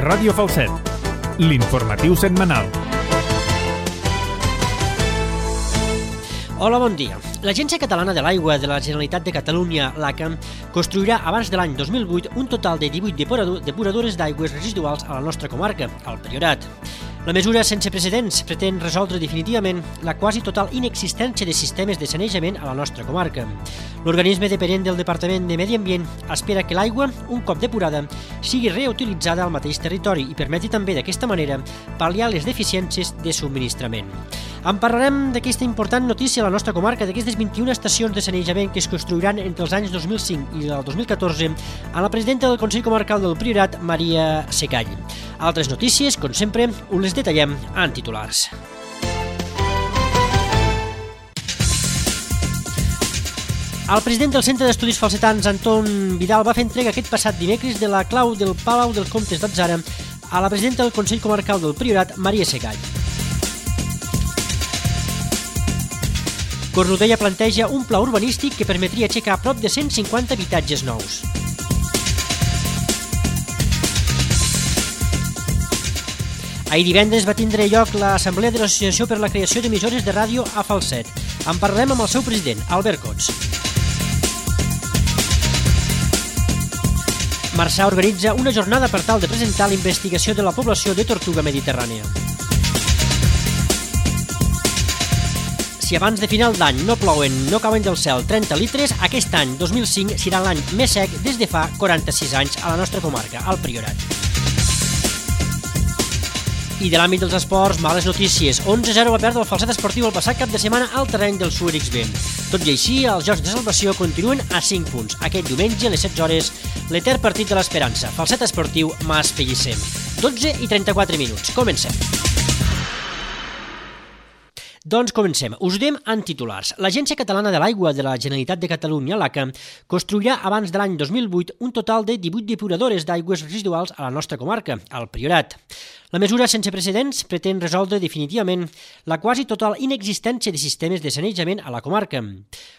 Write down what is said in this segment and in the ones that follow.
Ràdio Falset, l'informatiu setmanal. Hola, bon dia. L'Agència Catalana de l'Aigua de la Generalitat de Catalunya, l'ACA, construirà abans de l'any 2008 un total de 18 depuradores d'aigües residuals a la nostra comarca, al Priorat. La mesura sense precedents pretén resoldre definitivament la quasi total inexistència de sistemes de sanejament a la nostra comarca. L'organisme dependent del Departament de Medi Ambient espera que l'aigua, un cop depurada, sigui reutilitzada al mateix territori i permeti també d'aquesta manera pal·liar les deficiències de subministrament. En parlarem d'aquesta important notícia a la nostra comarca, d'aquestes 21 estacions de sanejament que es construiran entre els anys 2005 i el 2014, amb la presidenta del Consell Comarcal del Priorat, Maria Secall. Altres notícies, com sempre, us les detallem en titulars. El president del Centre d'Estudis Falsetans, Anton Vidal, va fer entrega aquest passat dimecres de la clau del Palau dels Comtes d'Atzara a la presidenta del Consell Comarcal del Priorat, Maria Secall. Cornudella planteja un pla urbanístic que permetria aixecar prop de 150 habitatges nous. Ahir divendres va tindre lloc l'Assemblea de l'Associació per la Creació d'Emissores de Ràdio a Falset. En parlarem amb el seu president, Albert Cots. Marçà organitza una jornada per tal de presentar la investigació de la població de tortuga mediterrània. Si abans de final d'any no plouen, no cauen del cel 30 litres, aquest any, 2005, serà l'any més sec des de fa 46 anys a la nostra comarca, al Priorat. I de l'àmbit dels esports, males notícies. 11-0 va perdre el Falset Esportiu el passat cap de setmana al terreny del Suer XB. Tot i així, els Jocs de Salvació continuen a 5 punts. Aquest diumenge, a les 16 hores, l'etern partit de l'Esperança. Falset Esportiu, Mas Pellicer. 12:34 minuts. Comencem. Doncs comencem. Us ho diem en titulars. L'Agència Catalana de l'Aigua de la Generalitat de Catalunya, l'ACA, construirà abans de l'any 2008 un total de 18 depuradores d'aigües residuals a la nostra comarca, al Priorat. La mesura sense precedents pretén resoldre definitivament la quasi total inexistència de sistemes de sanejament a la comarca.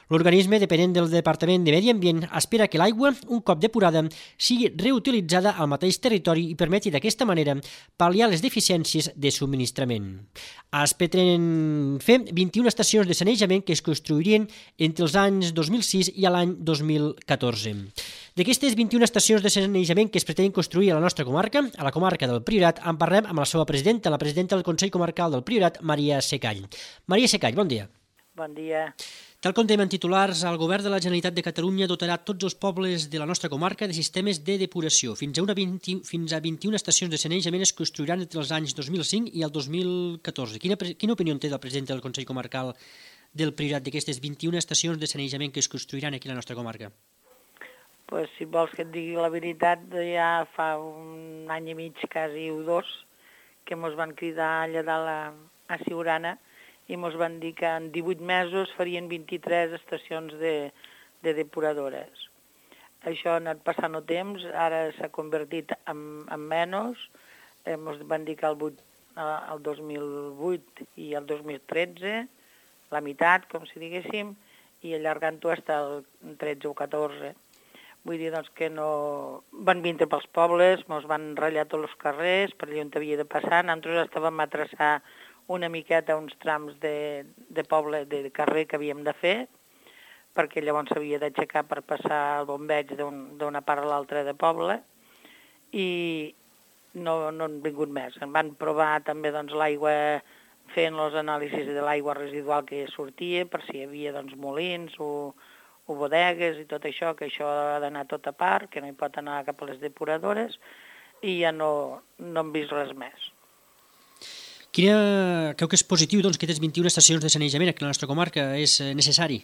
L'organisme dependent del Departament de Medi Ambient espera que l'aigua, un cop depurada, sigui reutilitzada al mateix territori i permeti d'aquesta manera pal·liar les deficiències de subministrament. Es pretenen fer 21 estacions de sanejament que es construirien entre els anys 2006 i l'any 2014. D'aquestes 21 estacions de sanejament que es pretenen construir a la nostra comarca, a la comarca del Priorat, en parlem amb la seva presidenta, la presidenta del Consell Comarcal del Priorat, Maria Secall. Maria Secall, bon dia. Bon dia. Tal com dèiem en titulars, el Govern de la Generalitat de Catalunya dotarà tots els pobles de la nostra comarca de sistemes de depuració. Fins a 21 estacions de sanejament es construiran entre els anys 2005 i el 2014. Quina opinió té el president del Consell Comarcal del Priorat d'aquestes 21 estacions de sanejament que es construiran aquí a la nostra comarca? Pues, si vols que et digui la veritat, ja fa un any i mig, quasi o dos, que mos van cridar allà dalt a Siurana i mos van dir que en 18 mesos farien 23 estacions de depuradores. Això ha anat passant el temps, ara s'ha convertit en menys, mos van dir que el 2008 i el 2013, la meitat, com si diguéssim, i allargant-ho fins al 13 o 14. Vull dir doncs, que no van vindre pels pobles, ens van ratllar tots els carrers, per allà on havia de passar. Nosaltres estàvem a traçar una miqueta uns trams de poble, de carrer que havíem de fer, perquè llavors s'havia d'aixecar per passar el bombeig d'una part a l'altra de poble, i no han vingut més. En van provar també doncs, l'aigua, fent els anàlisis de l'aigua residual que sortia, per si hi havia doncs, molins o bodegues i tot això, que això ha d'anar tot a part, que no hi pot anar cap a les depuradores, i ja no hem vist res més. Creu que és positiu doncs, que aquestes 21 estacions de sanejament aquí a la nostra comarca és necessari?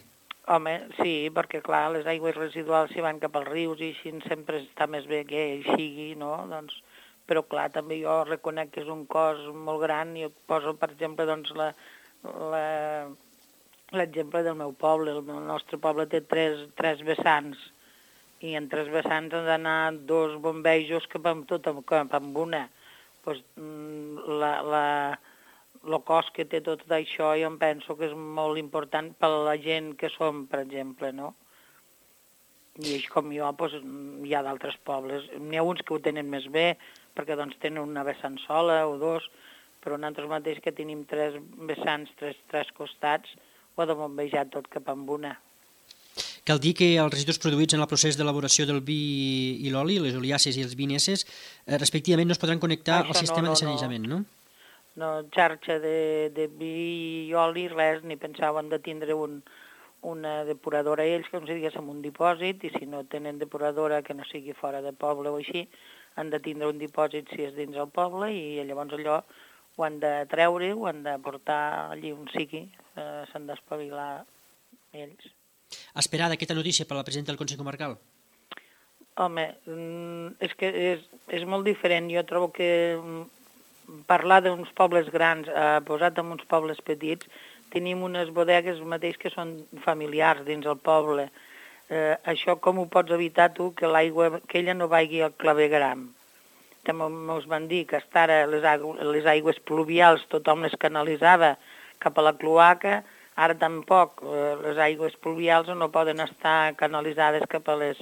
Home, sí, perquè clar, les aigües residuals s'hi van cap als rius i així sempre està més bé que hi sigui, no? Doncs, però clar, també jo reconec que és un cost molt gran i poso, per exemple, doncs, l'exemple del meu poble. El nostre poble té tres vessants i en 3 vessants han d'anar 2 bombejos cap amb una. Pues, el cost que té tot això jo em penso que és molt important per a la gent que som, per exemple, no? I així com jo, doncs, hi ha d'altres pobles. N'hi ha uns que ho tenen més bé, perquè doncs tenen una vessant sola o dos, però nosaltres mateix que tenim 3 vessants, tres costats, ho ha de bombejar tot cap amb una. Cal dir que els residus produïts en el procés d'elaboració del vi i l'oli, les oliàcies i els vineses, respectivament no es podran connectar al sistema de sanejament, no? No, xarxa de vi i oli, res, ni pensaven de tindre una depuradora ells, com si diguéssim un dipòsit, i si no tenen depuradora que no sigui fora de poble o així, han de tindre un dipòsit si és dins el poble i llavors allò ho han de treure, ho han de portar allí on sigui, s'han d'espavilar ells. Esperada aquesta notícia per la presidenta del Consell Comarcal? Home, és que és molt diferent. Jo trobo que parlar d'uns pobles grans posat en uns pobles petits, tenim unes bodegues mateix que són familiars dins el poble. Això com ho pots evitar tu, que l'aigua aquella no vagi al clavegram? També us van dir que fins ara les aigües pluvials tothom les canalitzava cap a la cloaca, ara tampoc les aigües pluvials no poden estar canalitzades cap a les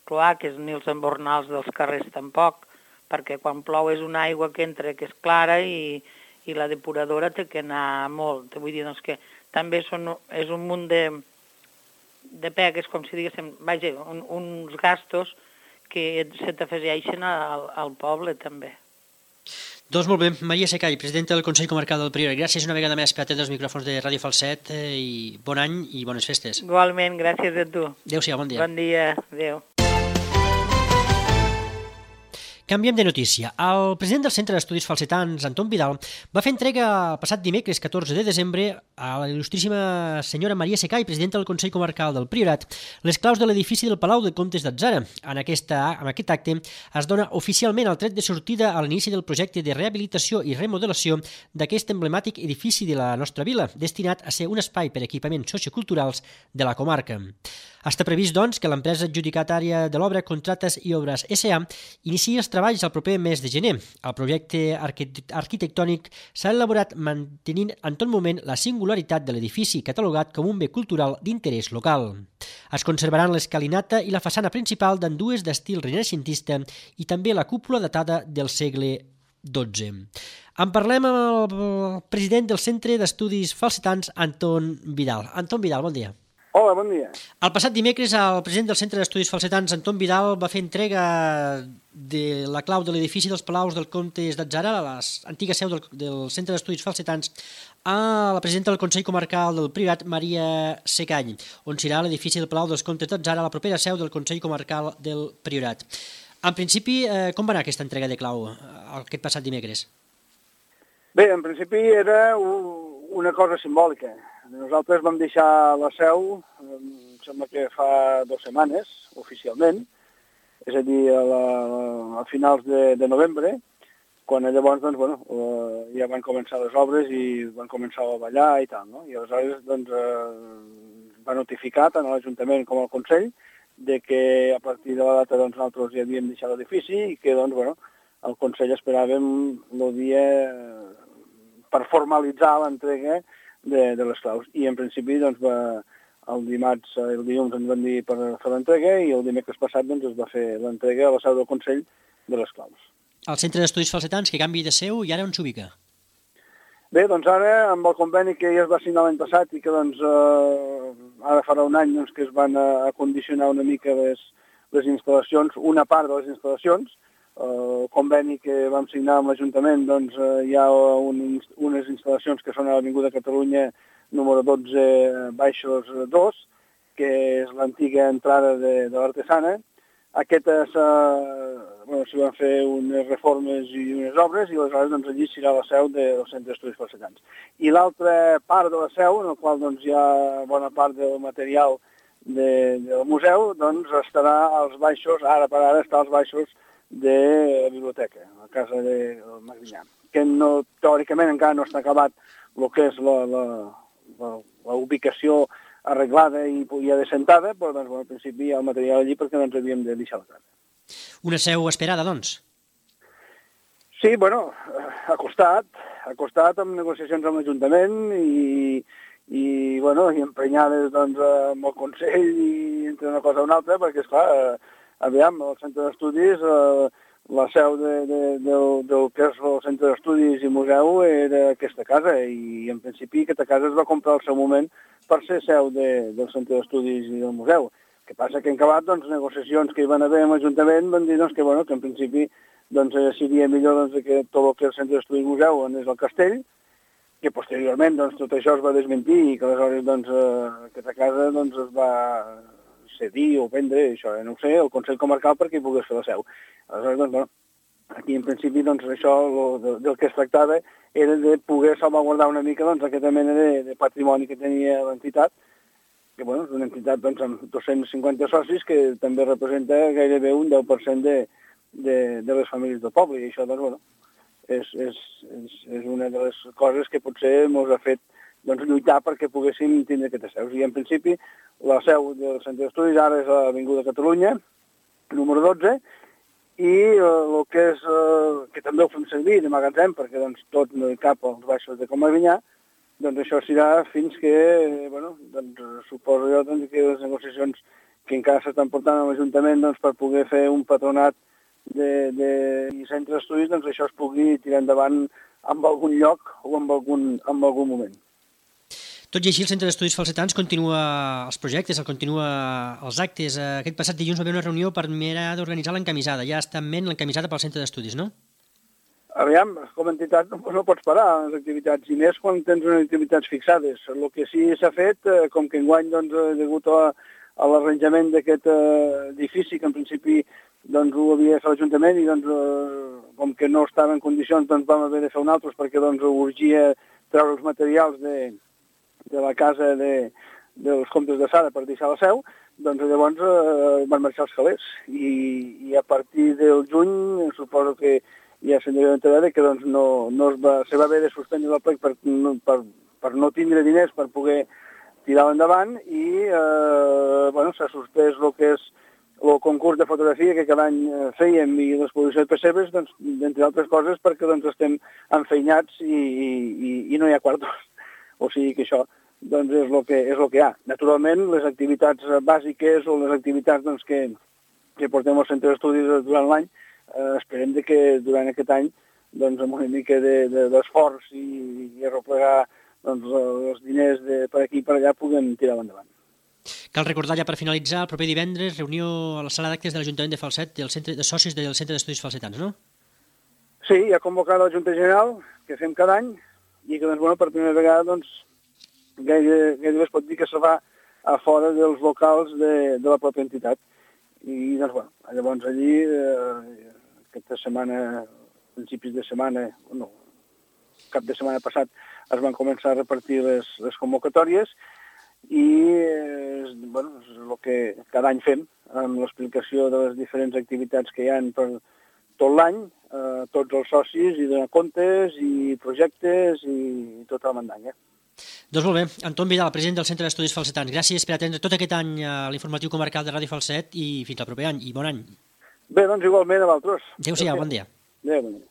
cloaques ni els embornals dels carrers tampoc, perquè quan plou és una aigua que entra que és clara i la depuradora té que anar molt. Vull dir doncs, que també és un munt de pegues, com si diguéssim, vaja, uns gastos que se t'afegeixen al poble també. Doncs molt bé, Maria Secall, presidenta del Consell Comarcal del Priorat, gràcies una vegada més per atendre els micròfons de Ràdio Falset i bon any i bones festes. Igualment, gràcies a tu. Adéu-siau, bon dia. Bon dia, adéu. Canviem de notícia. El president del Centre d'Estudis Falsetans, Anton Vidal, va fer entrega el passat dimecres 14 de desembre a la il·lustríssima senyora Maria Secall, presidenta del Consell Comarcal del Priorat, les claus de l'edifici del Palau de Comtes d'Atzara. En aquest acte es dona oficialment el tret de sortida a l'inici del projecte de rehabilitació i remodelació d'aquest emblemàtic edifici de la nostra vila, destinat a ser un espai per a equipaments socioculturals de la comarca. Està previst, doncs, que l'empresa adjudicatària de l'obra Contrates i Obres S.A. iniciï els treballs el proper mes de gener. El projecte arquitectònic s'ha elaborat mantenint en tot moment la singularitat de l'edifici catalogat com un bé cultural d'interès local. Es conservaran l'escalinata i la façana principal d'ambdues d'estil renaixentista i també la cúpula datada del segle XII. En parlem amb el president del Centre d'Estudis Falsetans, Anton Vidal. Anton Vidal, bon dia. Hola, bon dia. El passat dimecres, el president del Centre d'Estudis Falsetans, Anton Vidal, va fer entrega de la clau de l'edifici dels Palaus del Comtes d'Atzara, l'antiga seu del Centre d'Estudis Falsetans, a la presidenta del Consell Comarcal del Priorat, Maria Secall, on serà l'edifici del Palau dels Comtes d'Atzara, la propera seu del Consell Comarcal del Priorat. En principi, com va anar aquesta entrega de clau aquest passat dimecres? Bé, en principi era una cosa simbòlica. Nosaltres vam deixar la seu, em sembla que fa 2 setmanes, oficialment, és a dir, a finals de novembre, quan llavors doncs, ja van començar les obres i van començar a ballar i tal, no? I aleshores doncs, va notificar tant a l'Ajuntament com al Consell de que a partir de la data doncs, nosaltres ja havíem deixat l'edifici i que doncs, el Consell esperàvem el dia per formalitzar l'entrega de les claus. I en principi doncs, el dilluns ens van dir per fer l'entrega i el dimecres passat doncs, es va fer l'entrega a la seu del Consell de les claus. El Centre d'Estudis Falsetans, que canvi de seu, i ara on s'ubica? Bé, doncs ara, amb el conveni que ja es va signar l'any passat i que doncs, ara farà un any doncs, que es van acondicionar una mica les instal·lacions, una part de les instal·lacions. El conveni que vam signar amb l'Ajuntament, doncs, hi ha unes instal·lacions que són a l'Avinguda Catalunya número 12 baixos 2, que és l'antiga entrada de l'Artesana. Aquestes s'hi van fer unes reformes i unes obres i aleshores doncs, allí serà la seu del Centre d'Estudis Falsetans. I l'altra part de la seu, en la qual doncs, hi ha bona part del material del museu, doncs estarà als baixos, ara per ara està als baixos de la biblioteca, a la casa del Magrinyà, que no, teòricament encara no està acabat el que és la ubicació arreglada i ja descentada, però doncs, al principi hi ha el material allí perquè no ens havíem de deixar la casa. Una seu esperada, doncs? Sí, ha costat amb negociacions amb l'Ajuntament i i emprenyades doncs, amb el Consell i entre una cosa o una altra, perquè, esclar, aviam, el centre d'estudis, la seu del que és el centre d'estudis i museu era aquesta casa, i en principi aquesta casa es va comprar al seu moment per ser seu del centre d'estudis i del museu. El que passa que en acabat, doncs, negociacions que hi van haver amb l'Ajuntament van dir doncs, que en principi doncs, seria millor doncs, que tot el que és el centre d'estudis i museu anés al castell, que posteriorment doncs, tot això es va desmentir i que aleshores doncs, aquesta casa doncs, es va cedir o vendre, això no ho sé, el Consell Comarcal perquè hi pogués fer la seu. Aleshores, doncs, aquí en principi doncs, això del que es tractava era de poder salvaguardar una mica doncs, aquesta mena de patrimoni que tenia l'entitat, que és una entitat doncs, amb 250 socis que també representa gairebé un 10% de les famílies del poble, i això doncs, és una de les coses que potser ens ha fet doncs, lluitar perquè poguéssim tindre aquestes seus. I en principi la seu del centre d'estudis ara és a l'Avinguda Catalunya, número 12, i el que és, que també ho fem servir de magatzem, perquè doncs, tot no hi cap als baixos de Comavinyà, doncs això serà fins que, doncs, suposo jo doncs, que les negociacions que encara s'estan portant a l'Ajuntament doncs, per poder fer un patronat de centre d'estudis, doncs això es pugui tirar endavant en algun lloc o en algun moment. Tot i així, el Centre d'Estudis Falsetans continua els projectes, continua els actes. Aquest passat dilluns va haver una reunió per mirar d'organitzar l'encamisada. Ja està en ment l'encamisada pel Centre d'Estudis, no? Aviam, com a entitat no pots parar les activitats, i més quan tens unes activitats fixades. El que sí s'ha fet, com que enguany, doncs, degut a l'arranjament d'aquest edifici, que en principi doncs, ho havia de fer l'Ajuntament, i doncs, com que no estava en condicions, doncs vam haver de fer un altre, perquè doncs, urgia treure els materials de la casa dels comtes de Sara per deixar la seu, doncs llavors van marxar els calés. I a partir del juny, suposo que ja se'n devia enterar que doncs, se va haver de suspendre el plec per no tindre diners per poder tirar endavant, i s'ha suspès el que és el concurs de fotografia que cada any fèiem i l'exposició de pessebres, doncs, entre altres coses, perquè doncs, estem enfeinats i no hi ha quartos. O sigui que això doncs, és el que hi ha. Naturalment, les activitats bàsiques o les activitats doncs, que portem al centre d'estudis durant l'any, esperem que durant aquest any, doncs, amb una mica d'esforç i arreplegar doncs, els diners per aquí i per allà, puguem tirar endavant. Cal recordar ja per finalitzar, el proper divendres, reunió a la sala d'actes de l'Ajuntament de Falset, de socis del Centre d'Estudis Falsetans, no? Sí, hi ha convocat la Junta General, que fem cada any, i que doncs, per primera vegada doncs, gairebé es pot dir que se va a fora dels locals de la pròpia entitat. I doncs, llavors allí, aquesta setmana, principis de setmana, cap de setmana passat, es van començar a repartir les convocatòries, i és el que cada any fem, amb l'explicació de les diferents activitats que hi ha per tot l'any, tots els socis, i donar comptes, i projectes, i tota la mandanya. Doncs molt bé. Anton Vidal, president del Centre d'Estudis Falsetans, gràcies per atendre tot aquest any a l'informatiu comarcal de Ràdio Falset, i fins al proper any, i bon any. Bé, doncs igualment a vosaltres. Adéu-siau, bon dia. Adéu, bon dia.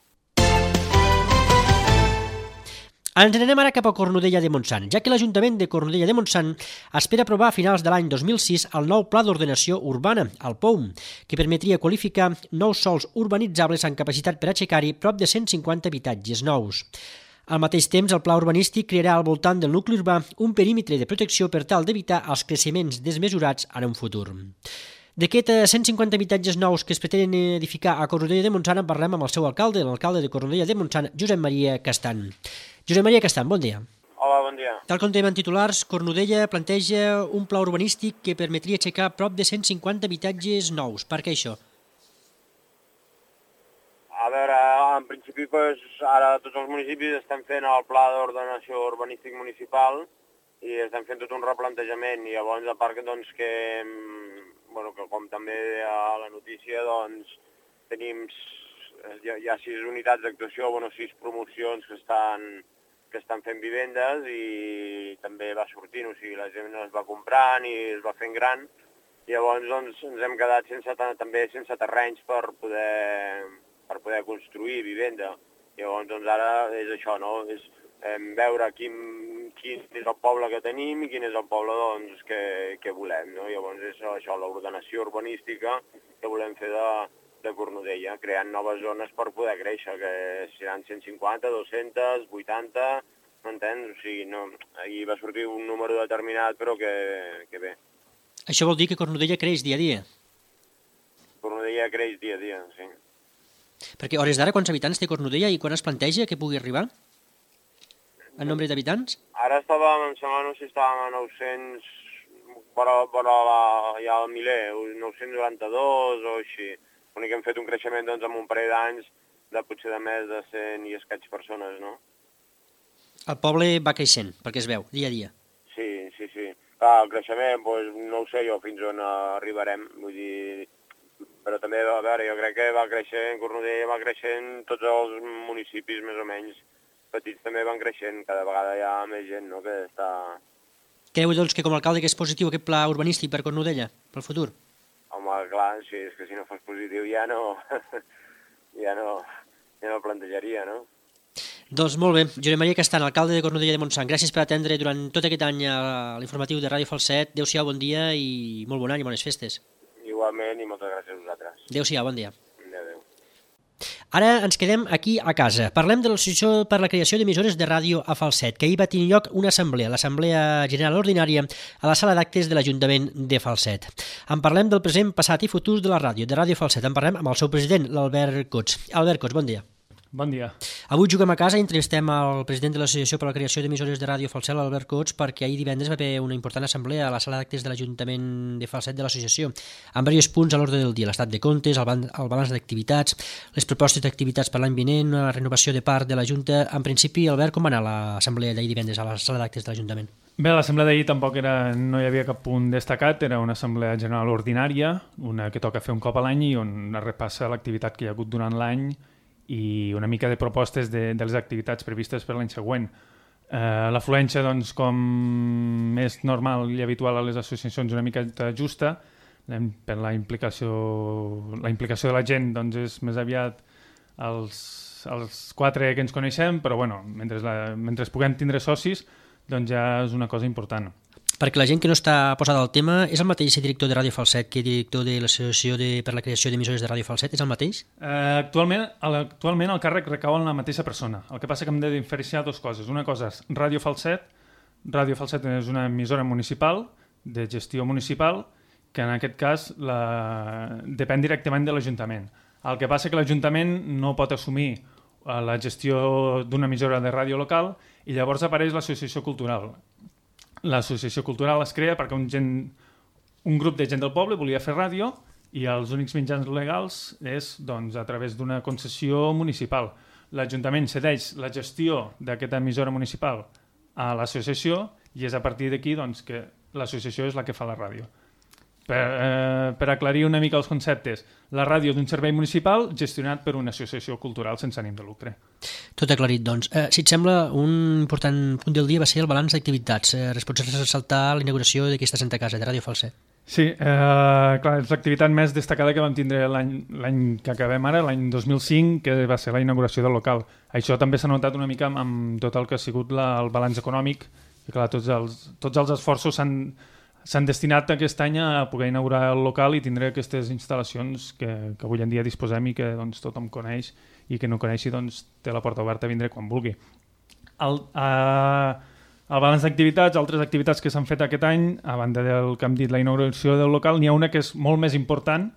Ens anem ara cap a Cornudella de Montsant, ja que l'Ajuntament de Cornudella de Montsant espera aprovar a finals de l'any 2006 el nou Pla d'Ordenació Urbana, el POUM, que permetria qualificar nous sòls urbanitzables amb capacitat per aixecar-hi prop de 150 habitatges nous. Al mateix temps, el pla urbanístic crearà al voltant del nucli urbà un perímetre de protecció per tal d'evitar els creixements desmesurats en un futur. D'aquests 150 habitatges nous que es pretenen edificar a Cornudella de Montsant en parlem amb el seu alcalde, l'alcalde de Cornudella de Montsant, Josep Maria Castan. Josep Maria Castan, bon dia. Hola, bon dia. Tal com dèiem en titulars, Cornudella planteja un pla urbanístic que permetria aixecar prop de 150 habitatges nous. Per què això? A veure, en principi, ara tots els municipis estan fent el pla d'ordenació urbanístic municipal i estan fent tot un replantejament, i llavors, a part que com també a la notícia, doncs, tenim hi ha 6 unitats d'actuació, 6 promocions que estan fent vivendes, i també va sortint, o sigui, la gent es va comprant i es va fent gran, i llavors doncs, ens hem quedat també sense terrenys per poder construir vivenda. Llavors doncs, ara és això, no? És veure quin quin és el poble que tenim i quin és el poble doncs, que volem. No? Llavors és això, l'ordenació urbanística que volem fer de Cornudella, creant noves zones per poder créixer, que seran 150, 200, 80, m'entens? O sigui, no, ahir va sortir un número determinat, però que bé. Això vol dir que Cornudella creix dia a dia? Cornudella creix dia a dia, sí. Perquè a hores d'ara quants habitants té Cornudella i quan es planteja que pugui arribar? El nombre d'habitants? Ara estàvem, em sembla, no sé si estàvem a 900, però ja al miler, 992 o així. L'únic que hem fet un creixement doncs, en un parell d'anys de potser de més de 100 i escaig persones, no? El poble va creixent, perquè es veu, dia a dia. Sí. Clar, el creixement, doncs, no ho sé jo fins on arribarem, vull dir... Però també, a veure, jo crec que va creixent, Cornudella va creixent, tots els municipis més o menys petits també van creixent, cada vegada hi ha més gent, no?, que està... Creu, doncs, que com a alcalde que és positiu aquest pla urbanístic per Cornudella, pel futur? Home, clar, sí, és que si no fos positiu ja no plantejaria, no? Doncs molt bé, Josep Maria Castan, alcalde de Cornudella de Montsant, gràcies per atendre durant tot aquest any l'informatiu de Ràdio Falset. Adéu-siau, bon dia i molt bon any i bones festes. Igualment i moltes gràcies a vosaltres. Adéu-siau, bon dia. Adéu. Ara ens quedem aquí a casa. Parlem de l'Associació per la Creació d'Emissores de Ràdio a Falset, que ahir va tenir lloc una assemblea, l'Assemblea General Ordinària, a la sala d'actes de l'Ajuntament de Falset. En parlem del present, passat i futur de la ràdio, de Ràdio Falset. En parlem amb el seu president, l'Albert Cots. Albert Cots, bon dia. Bon dia. Avui juguem a casa i entrevistem el president de l'Associació per la Creació d'Emissores de Ràdio Falset, l'Albert Cots, perquè ahir divendres va haver una important assemblea a la sala d'actes de l'Ajuntament de Falset de l'Associació, amb diversos punts a l'ordre del dia, l'estat de comptes, el balanç d'activitats, les propostes d'activitats per l'any vinent, una renovació de part de la Junta. En principi, Albert, com va anar l'assemblea d'ahir divendres a la sala d'actes de l'Ajuntament? Bé, l'assemblea d'ahir tampoc no hi havia cap punt destacat, era una assemblea general ordinària, una que toca fer un cop a l'any i on es repassa l'activitat que hi ha hagut durant l'any i una mica de propostes de les activitats previstes per l'any següent. L'afluència, doncs, com és normal i habitual a les associacions, una mica justa, per la implicació de la gent, doncs, és més aviat els 4 que ens coneixem, però bueno, mentre puguem tindre socis, doncs ja és una cosa important. Perquè la gent que no està posada al tema, és el mateix director de Ràdio Falset que director de l'Associació per la Creació d'Emissores de Ràdio Falset? És el mateix? Actualment el càrrec recau en la mateixa persona. El que passa que hem de diferenciar dues coses. Una cosa és Ràdio Falset. Ràdio Falset és una emissora municipal, de gestió municipal, que en aquest cas depèn directament de l'Ajuntament. El que passa que l'Ajuntament no pot assumir la gestió d'una emissora de ràdio local i llavors apareix l'Associació Cultural. L'associació cultural es crea perquè un grup de gent del poble volia fer ràdio i els únics mitjans legals és doncs, a través d'una concessió municipal. L'Ajuntament cedeix la gestió d'aquesta emissora municipal a l'associació i és a partir d'aquí doncs, que l'associació és la que fa la ràdio. Per aclarir una mica els conceptes, la ràdio d'un servei municipal gestionat per una associació cultural sense ànim de lucre. Tot aclarit, doncs. Si et sembla, un important punt del dia va ser el balanç d'activitats. Pots ressaltar la inauguració d'aquesta Santa Casa de Ràdio Falset. Sí, clar, és l'activitat més destacada que vam tindre l'any que acabem ara, l'any 2005, que va ser la inauguració del local. Això també s'ha notat una mica amb tot el que ha sigut el balanç econòmic, i clar, tots els esforços s'han destinat aquest any a poder inaugurar el local i tindre aquestes instal·lacions que avui en dia disposem i que doncs, tothom coneix i que no coneixi doncs, té la porta oberta a vindre quan vulgui. El balanç d'activitats, altres activitats que s'han fet aquest any, a banda del que hem dit, la inauguració del local, n'hi ha una que és molt més important,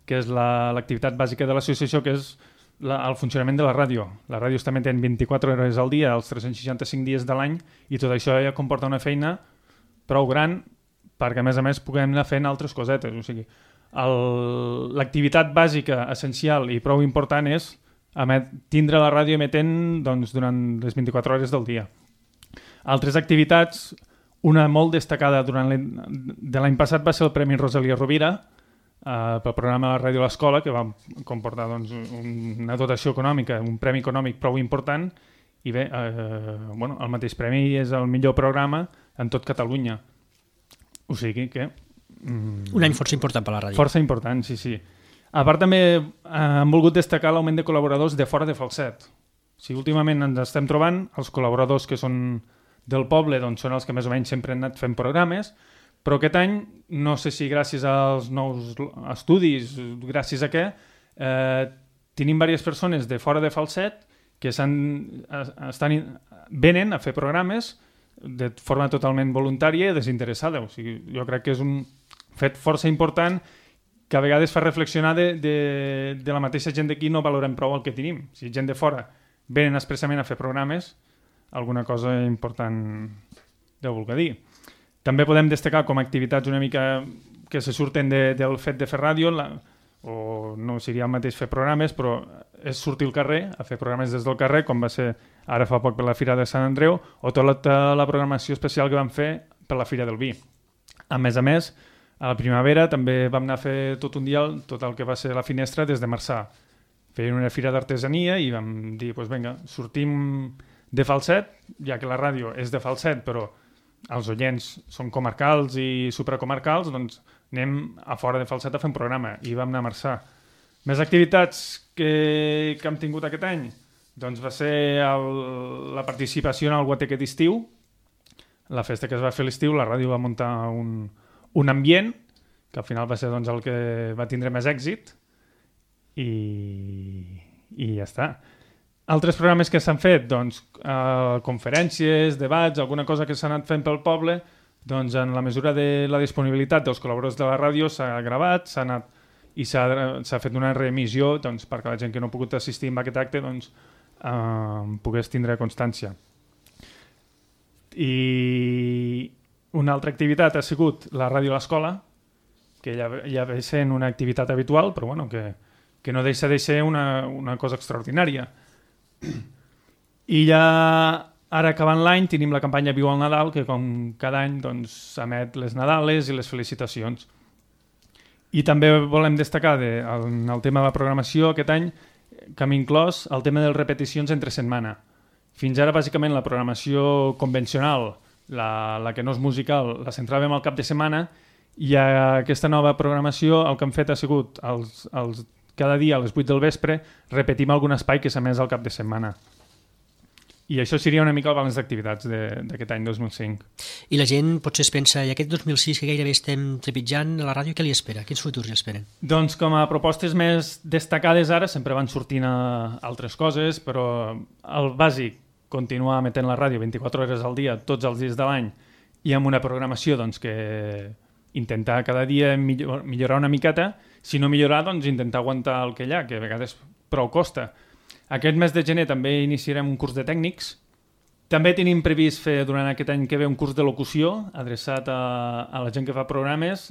que és l'activitat bàsica de l'associació, que és el funcionament de la ràdio. La ràdio està emetent 24 hores al dia, els 365 dies de l'any, i tot això ja comporta una feina prou gran perquè a més puguem anar fent altres cosetes. O sigui, l'activitat bàsica, essencial i prou important és tindre la ràdio emetent doncs, durant les 24 hores del dia. Altres activitats, una molt destacada de l'any passat va ser el Premi Rosalia Rovira pel programa La Ràdio a l'Escola, que va comportar doncs, una dotació econòmica, un premi econòmic prou important, i bé, el mateix premi és el millor programa en tot Catalunya. O sigui que... Un any força important per la ràdio. Força important, sí. A part també hem volgut destacar l'augment de col·laboradors de fora de Falset. O sigui, últimament ens estem trobant els col·laboradors que són del poble doncs, són els que més o menys sempre han anat fent programes, però aquest any, no sé si gràcies als nous estudis, gràcies a què, tenim diverses persones de fora de Falset que venen a fer programes de forma totalment voluntària i desinteressada. O sigui, jo crec que és un fet força important que a vegades fa reflexionar de la mateixa gent d'aquí no valorem prou el que tenim. Si gent de fora venen expressament a fer programes, alguna cosa important deu voler dir. També podem destacar com a activitats una mica que se surten del fet de fer ràdio, o no seria el mateix fer programes, però és sortir al carrer, a fer programes des del carrer, com va ser ara fa poc per la Fira de Sant Andreu, o tota la programació especial que vam fer per la Fira del Vi. A més, a la primavera també vam anar a fer tot un dia tot el que va ser la finestra des de Marçà. Feien una fira d'artesania i vam dir, doncs vinga, sortim de Falset, ja que la ràdio és de Falset, però els oients són comarcals i supracomarcals, doncs anem a fora de Falset a fer un programa i vam anar a Marçà. Més activitats que hem tingut aquest any? Doncs va ser la participació en el Guateque d'estiu, la festa que es va fer a l'estiu, la ràdio va muntar un ambient, que al final va ser doncs, el que va tindre més èxit, i ja està. Altres programes que s'han fet, doncs, conferències, debats, alguna cosa que s'ha anat fent pel poble, doncs en la mesura de la disponibilitat dels col·laboradors de la ràdio s'ha gravat, s'ha fet una reemissió doncs, perquè la gent que no ha pogut assistir a aquest acte doncs, pogués tindre constància. I una altra activitat ha sigut la ràdio a l'escola, que ja ve sent una activitat habitual, però bueno, que no deixa de ser una cosa extraordinària. I ja ara acabant l'any tenim la campanya Viu al Nadal, que com cada any doncs, emet les Nadales i les felicitacions. I també volem destacar en el tema de la programació aquest any que hem inclòs el tema de les repeticions entre setmana. Fins ara, bàsicament, la programació convencional, la que no és musical, la centràvem al cap de setmana, i aquesta nova programació el que hem fet ha sigut cada dia a les 8 del vespre repetim algun espai que s'ha emès al cap de setmana. I això seria una mica el balanç d'activitats d'aquest any 2005. I la gent potser es pensa, i aquest 2006 que gairebé estem trepitjant a la ràdio, què li espera? Quins futurs li esperen? Doncs com a propostes més destacades ara sempre van sortint altres coses, però el bàsic, continuar emetent la ràdio 24 hores al dia, tots els dies de l'any, i amb una programació doncs, que intentar cada dia millorar una miqueta, si no millorar, doncs intentar aguantar el que hi ha, que a vegades prou costa. Aquest mes de gener també iniciarem un curs de tècnics. També tenim previst fer durant aquest any que ve un curs de locució adreçat a la gent que fa programes.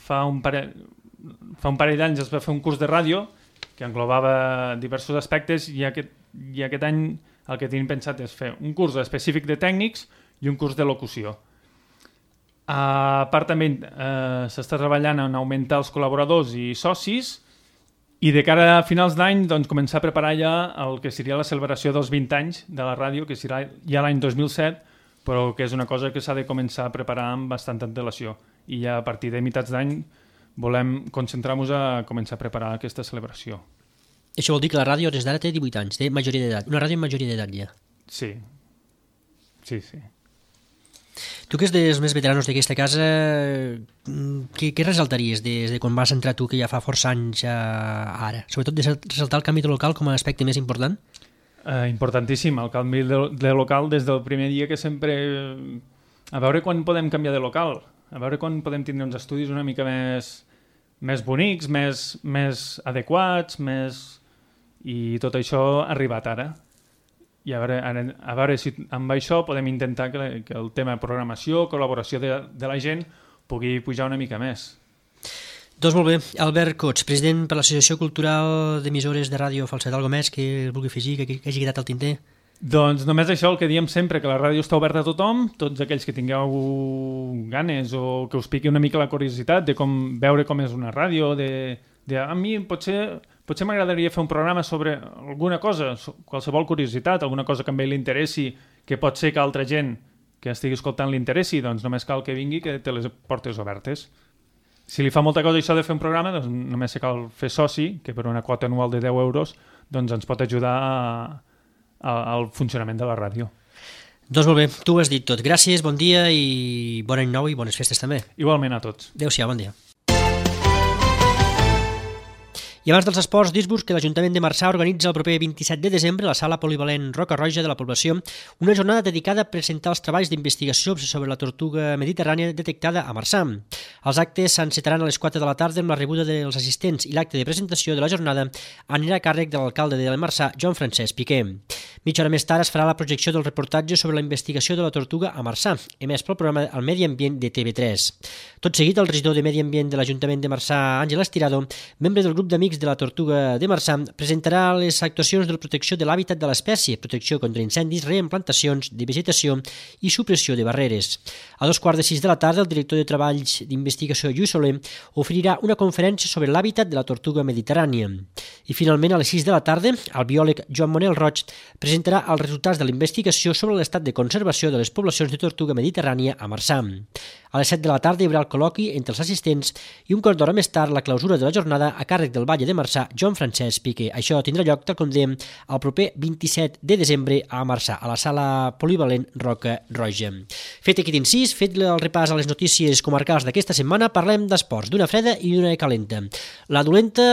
Fa un parell d'anys es va fer un curs de ràdio que englobava diversos aspectes i aquest any el que tenim pensat és fer un curs específic de tècnics i un curs de locució. A part també s'està treballant en augmentar els col·laboradors i socis i de cara a finals d'any doncs, començar a preparar ja el que seria la celebració dels 20 anys de la ràdio, que serà ja l'any 2007, però que és una cosa que s'ha de començar a preparar amb bastanta antelació. I ja a partir de meitats d'any volem concentrar-nos a començar a preparar aquesta celebració. Això vol dir que la ràdio des d'ara té 18 anys, té majoria d'edat, una ràdio amb majoria d'edat ja. Sí. Tu que és dels més veteranos d'aquesta casa, què resaltaries des de quan vas entrar tu, que ja fa força anys ara? Sobretot de ressaltar el canvi de local com a aspecte més important? Importantíssim, el canvi de local des del primer dia, que sempre... A veure quan podem canviar de local, a veure quan podem tindre uns estudis una mica més bonics, més adequats, i tot això ha arribat ara. I a veure si amb això podem intentar que el tema de programació, col·laboració de la gent pugui pujar una mica més. Doncs molt bé. Albert Cots, president per l'Associació Cultural d'Emissores de Ràdio Falset. Algo més que vulgui afegir, que hagi quedat al tinter? Doncs només això, el que diem sempre, que la ràdio està oberta a tothom, tots aquells que tingueu ganes o que us piqui una mica la curiositat de veure com és una ràdio, a mi potser m'agradaria fer un programa sobre alguna cosa, qualsevol curiositat, alguna cosa que a ell li interessi, que pot ser que altra gent que estigui escoltant li interessi, doncs només cal que vingui, que té les portes obertes. Si li fa molta cosa això de fer un programa, doncs només cal fer soci, que per una quota anual de 10 euros doncs ens pot ajudar al funcionament de la ràdio. Doncs molt bé, tu ho has dit tot. Gràcies, bon dia i bon any nou i bones festes també. Igualment a tots. Adéu-siau, bon dia. I abans dels esports, dir-vos que l'Ajuntament de Marçà organitza el proper 27 de desembre a la sala polivalent Roca Roja de la població una jornada dedicada a presentar els treballs d'investigació sobre la tortuga mediterrània detectada a Marçà. Els actes s'encetaran a les 4 de la tarda amb la rebuda dels assistents i l'acte de presentació de la jornada anirà a càrrec de l'alcalde de Marçà, Joan Francesc Piqué. Mitja hora més tard es farà la projecció del reportatge sobre la investigació de la tortuga a Marçà, emès pel programa El Medi Ambient de TV3. Tot seguit, el regidor de Medi Ambient de l'Ajuntament de Marçà, Àngel Estirado, membre del grup d'amics de la tortuga de Marçà, presentarà les actuacions de la protecció de l'hàbitat de l'espècie, protecció contra incendis, reimplantacions de vegetació i supressió de barreres. A 2:45 de la tarda, el director de Treballs d'Investigació, Lluís Soler, oferirà una conferència sobre l'hàbitat de la tortuga mediterrània. I finalment, a les 6 de la tarda, el biòleg Joan Manel Roig presentarà els resultats de la investigació sobre l'estat de conservació de les poblacions de tortuga mediterrània a Marçà. A les 7 de la tarda hi haurà el col·loqui entre els assistents i un quart d'hora més tard la clausura de la jornada a càrrec del batlle de Marçà, Joan Francesc Piqué. Això tindrà lloc, tal com dèiem, el proper 27 de desembre a Marçà, a la sala polivalent Roca Roja. Fet aquest incís, fet el repàs a les notícies comarcals d'aquesta setmana, parlem d'esports, d'una freda i d'una calenta. La dolenta,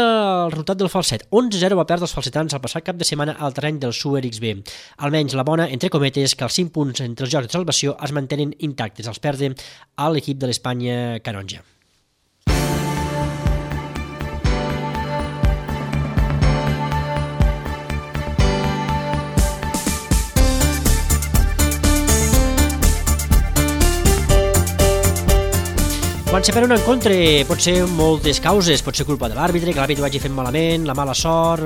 el resultat del Falset. 11-0 va perdre els falsetans el passat cap de setmana al terreny del Súer XB. Almenys la bona, entre cometes, que els 5 punts entre els jocs de salvació es mantenen intactes. Els perde a l'equip de l'Espanya canonja. Quan se perd un encontre pot ser moltes causes, pot ser culpa de l'àrbitre, que l'àrbitre ho hagi fet malament, la mala sort,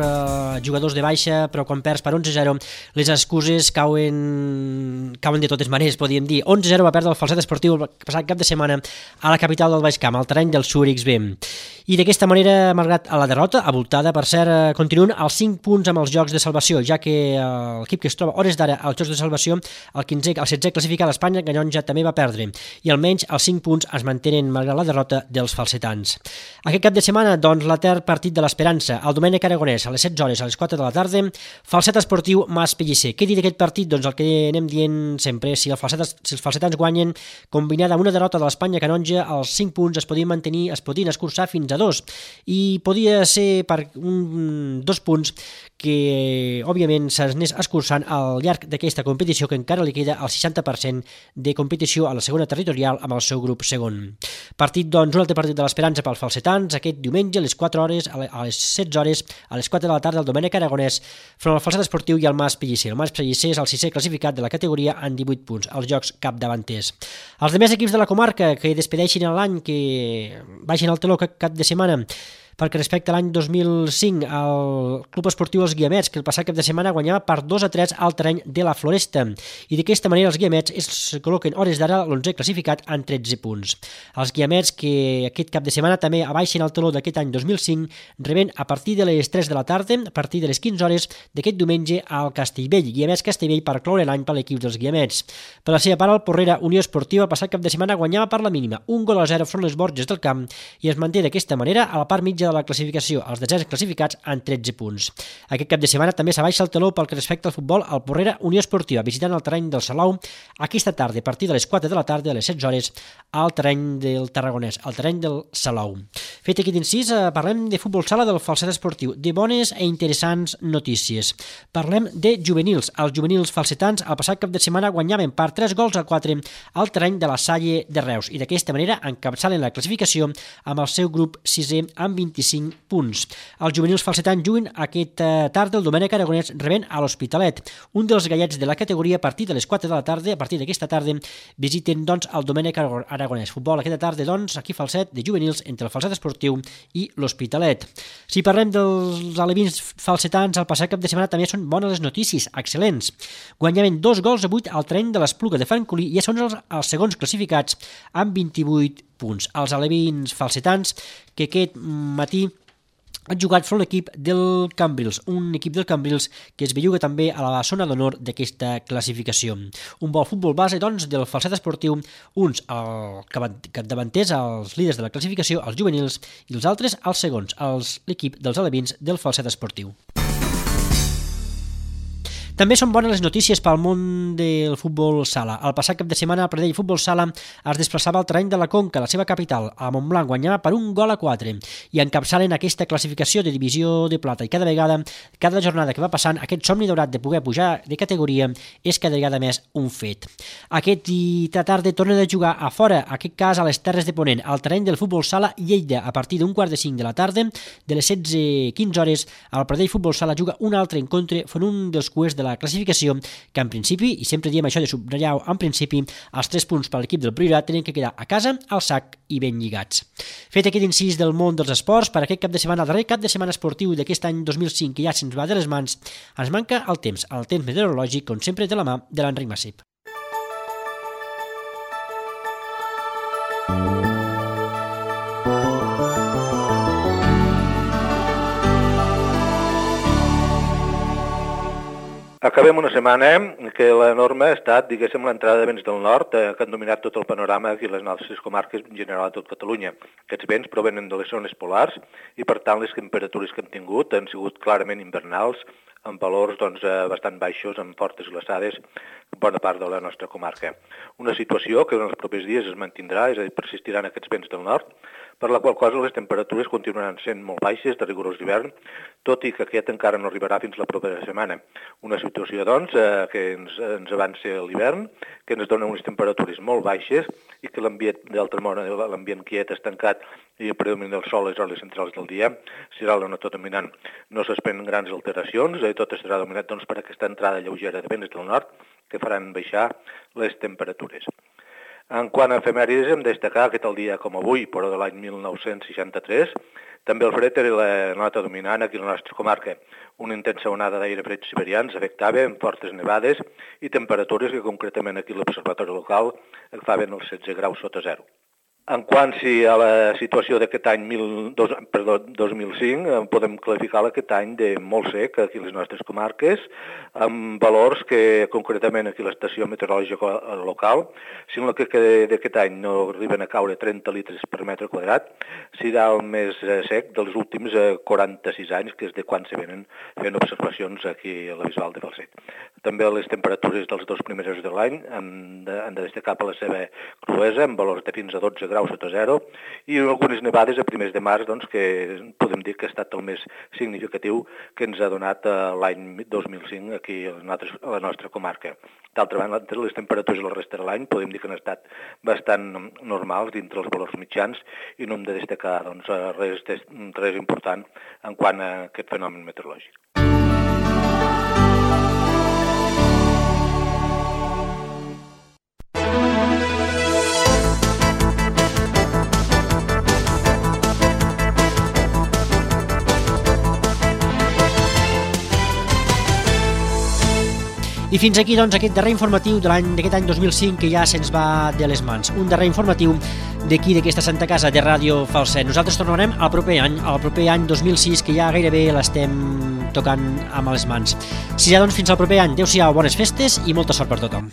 jugadors de baixa, però quan perds per 11-0 les excuses cauen de totes maneres, podríem dir. 11-0 va perdre el Falset Esportiu el passat cap de setmana a la capital del Baix Camp, al terreny del Súer XB. I d'aquesta manera, malgrat la derrota, abultada, per cert, continuen els 5 punts amb els jocs de salvació, ja que l'equip que es troba hores d'ara als jocs de salvació, el 16è classificat d'Espanya, Canonja, també va perdre, i almenys els 5 punts es mantenen malgrat la derrota dels falsetans. Aquest cap de setmana, doncs, l'etern partit de l'Esperança, el Domènec Aragonès, a les 16 hores, a les 4 de la tarda, Falset Esportiu Mas Pellicer. Què dir d'aquest partit? Doncs el que anem dient sempre, si els falsetans guanyen, combinada amb una derrota de l'Espanya Canonja, els 5 punts es podien mantenir, es podien escurçar fins a 2, i podia ser per 2 punts que, òbviament, s'anés escurçant al llarg d'aquesta competició, que encara li queda el 60% de competició a la segona territorial amb el seu grup segon. Partit, doncs, un altre partit de l'Esperança pels falsetans, aquest diumenge a les 4 hores, a les 16 hores, a les 4 de la tarda, el Domènec Aragonès front al Falset Esportiu i el Mas Pellicer. El Mas Pellicer és el 6è classificat de la categoria amb 18 punts, als jocs capdavanters. Els demés equips de la comarca que despedeixin l'any, que baixin al teló cap de setmana, perquè respecte a l'any 2005 el Club Esportiu Els Guiamets, que el passat cap de setmana guanyava per 2-3 al terreny de la Floresta, i d'aquesta manera els Guiamets es col·loquen hores d'ara l'11è classificat amb 13 punts. Els Guiamets, que aquest cap de setmana també abaixen el taló d'aquest any 2005, reben a partir de les 3 de la tarda, a partir de les 15 hores d'aquest diumenge al Castellvell, Guiamets-Castellvell, per cloure l'any per l'equip dels Guiamets. Per la seva part, el Porrera Unió Esportiva el passat cap de setmana guanyava per la mínima, 1-0 front les Borges del Camp, i es manté d'aquesta manera a la part mitja de la classificació, els desens classificats amb 13 punts. Aquest cap de setmana també s'abaixa el taló pel que respecta al futbol al Porrera Unió Esportiva, visitant el terreny del Salou aquesta tarda, a partir de les 4 de la tarda, a les 16 hores, al terreny del Tarragonès, al terreny del Salou. Fet aquest incís, parlem de futbol sala del Falset Esportiu, de bones i interessants notícies. Parlem de juvenils. Els juvenils falsetans el passat cap de setmana guanyaven per 3-4 al terreny de la Salle de Reus, i d'aquesta manera encapçalen la classificació amb el seu grup 6è amb 25 punts. Els juvenils falsetans juguen aquesta tarda el Domènec Aragonès rebent a l'Hospitalet. Un dels gallets de la categoria a partir de les 4 de la tarda, a partir d'aquesta tarda, visiten doncs el Domènec Aragonès. Futbol aquesta tarda, doncs, aquí Falset de juvenils entre el Falset Esportiu i l'Hospitalet. Si parlem dels alevins falsetans, el passat cap de setmana també són bones les notícies, excel·lents. Guanyaven 2-8 al terreny de l'Espluga de Francolí i ja són els segons classificats amb 28 punts. Els alevins falsetans que aquest matí han jugat front l'equip del Cambrils, un equip del Cambrils que es belluga també a la zona d'honor d'aquesta classificació. Un bon futbol base, doncs, del Falset Esportiu, uns capdavanters, els líders de la classificació, els juvenils, i els altres, els segons, l'equip dels alevins del Falset Esportiu. També són bones les notícies pel món del futbol sala. El passat cap de setmana el Pradell Futbol Sala es desplaçava al terreny de la Conca, la seva capital, a Montblanc, guanyava per 1-4 i encapçalen aquesta classificació de divisió de plata i cada jornada que va passant aquest somni daurat de poder pujar de categoria és cada vegada més un fet. Aquesta tarda tornen a jugar a fora, en aquest cas a les Terres de Ponent, al terreny del Futbol Sala Lleida, a partir d'1:45 de la tarda, de les 16:15 hores, el Pradell Futbol Sala juga un altre encontre fent un dels cuers de la classificació, que en principi, i sempre diem això de subratllar en principi, els 3 punts per l'equip del Priorat tenen que quedar a casa, al sac i ben lligats. Fet aquest incís del món dels esports, per aquest cap de setmana, el darrer cap de setmana esportiu d'aquest any 2005, que ja se'ns va de les mans, ens manca el temps meteorològic, com sempre de la mà de l'Enric Massip. Acabem una setmana que la norma ha estat, diguéssim, l'entrada de vents del nord que han dominat tot el panorama aquí a les nostres comarques, en general a tot Catalunya. Aquests vents provenen de les zones polars i, per tant, les temperatures que hem tingut han sigut clarament invernals, amb valors bastant baixos, amb fortes glaçades en bona part de la nostra comarca. Una situació que en els propers dies es mantindrà, és a dir, persistiran aquests vents del nord, per la qual cosa les temperatures continuaran sent molt baixes, de rigorós d'hivern, tot i que aquest encara no arribarà fins la propera setmana. Una situació, doncs, que ens avança l'hivern, que ens dona unes temperatures molt baixes i que l'ambient d'altre món, l'ambient quiet, estancat i el predomini del sol a les hores centrals del dia, serà la nota dominant. No s'esperen grans alteracions, tot estarà dominat per aquesta entrada lleugera de vents del nord que faran baixar les temperatures. En quant a efemèrides, hem de destacar que tal dia com avui, però de l'any 1963, també el fred era la nota dominant aquí a la nostra comarca. Una intensa onada d'aire fred siberians afectava amb fortes nevades i temperatures que concretament aquí a l'observatori local agafaven els 16 graus sota zero. En quant a la situació d'aquest any 2005, podem qualificar aquest any de molt sec aquí a les nostres comarques, amb valors que concretament aquí a l'estació meteorològica local, si en el que d'aquest any no arriben a caure 30 litres per metre quadrat, serà el més sec dels últims 46 anys, que és de quan se venen fent observacions aquí a la Bisbal de Falset. També les temperatures dels 2 primers mesos de l'any han de destacar per la seva cruesa, amb valors de fins a 12 graus sota zero, i algunes nevades a primers de març, que podem dir que ha estat el més significatiu que ens ha donat l'any 2005 aquí a la nostra comarca. D'altra banda, les temperatures la resta de l'any podem dir que han estat bastant normals dintre els valors mitjans i no hem de destacar res important en quant a aquest fenomen meteorològic. I fins aquí, doncs, aquest darrer informatiu d'aquest any 2005 que ja se'ns va de les mans. Un darrer informatiu d'aquí, d'aquesta Santa Casa de Ràdio Falset. Nosaltres tornarem al proper any 2006, que ja gairebé l'estem tocant amb les mans. Si ja, doncs, fins al proper any. Adéu-siau, bones festes i molta sort per tothom.